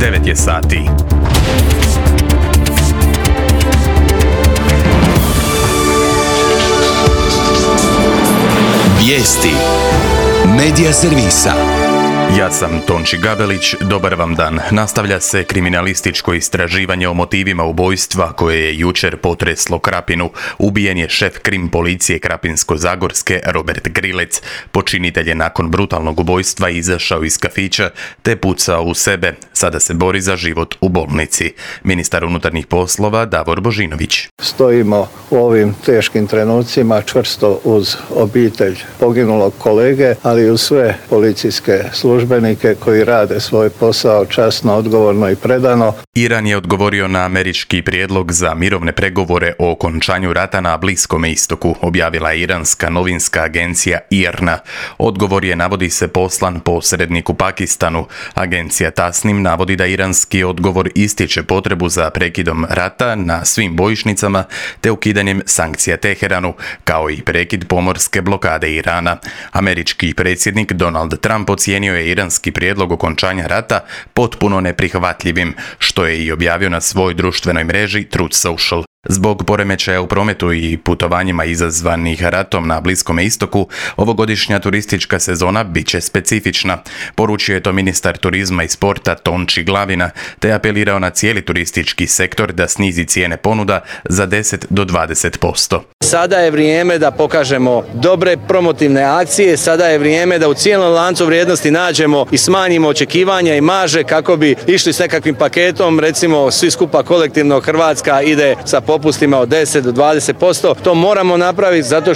9 je sati. Vijesti Medija servisa. Ja sam Tonči Gabelić, dobar vam dan. Nastavlja se kriminalističko istraživanje o motivima ubojstva koje je jučer potreslo Krapinu. Ubijen je šef krim policije Krapinsko-zagorske Robert Grilec. Počinitelj je nakon brutalnog ubojstva izašao iz kafića te pucao u sebe. Sada se bori za život u bolnici. Ministar unutarnjih poslova Davor Božinović. Stojimo u ovim teškim trenucima čvrsto uz obitelj poginulog kolege, ali i uz sve policijske službenike koji rade svoj posao časno, odgovorno i predano. Iran je odgovorio na američki prijedlog za mirovne pregovore o okončanju rata na Bliskom istoku, objavila je iranska novinska agencija IRNA. Odgovor je, navodi se, poslan posredniku Pakistanu. Agencija Tasnim navodi da iranski odgovor ističe potrebu za prekidom rata na svim bojišnicama te ukidanjem sankcija Teheranu, kao i prekid pomorske blokade Irana. Američki predsjednik Donald Trump ocijenio je iranski prijedlog okončanja rata potpuno neprihvatljivim, što je i objavio na svojoj društvenoj mreži Truth Social. Zbog poremećaja u prometu i putovanjima izazvanih ratom na Bliskom istoku, ovogodišnja turistička sezona bit će specifična. Poručio je to ministar turizma i sporta Tonči Glavina, te apelirao na cijeli turistički sektor da snizi cijene ponuda za 10 do 20%. Sada je vrijeme da pokažemo dobre promotivne akcije, sada je vrijeme da u cijelom lancu vrijednosti nađemo i smanjimo očekivanja i marže kako bi išli s nekakvim paketom, recimo svi skupa kolektivno Hrvatska ide sa popustima od 10 do 20%. To moramo napraviti zato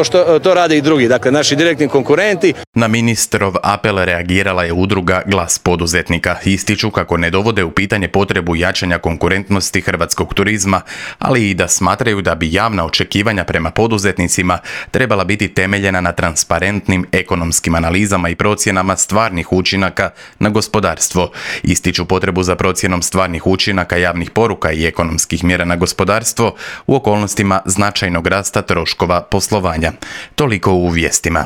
što to rade i drugi, dakle naši direktni konkurenti. Na ministrov apel reagirala je udruga Glas poduzetnika. Ističu kako ne dovode u pitanje potrebu jačanja konkurentnosti hrvatskog turizma, ali i da smatraju da bi javna očekivanja prema poduzetnicima trebala biti temeljena na transparentnim ekonomskim analizama i procjenama stvarnih učinaka na gospodarstvo. Ističu potrebu za procjenom stvarnih učinaka javnih poruka i ekonomskih mjera na gospodarstvo u okolnostima značajnog rasta troškova poslovanja. Toliko u vijestima.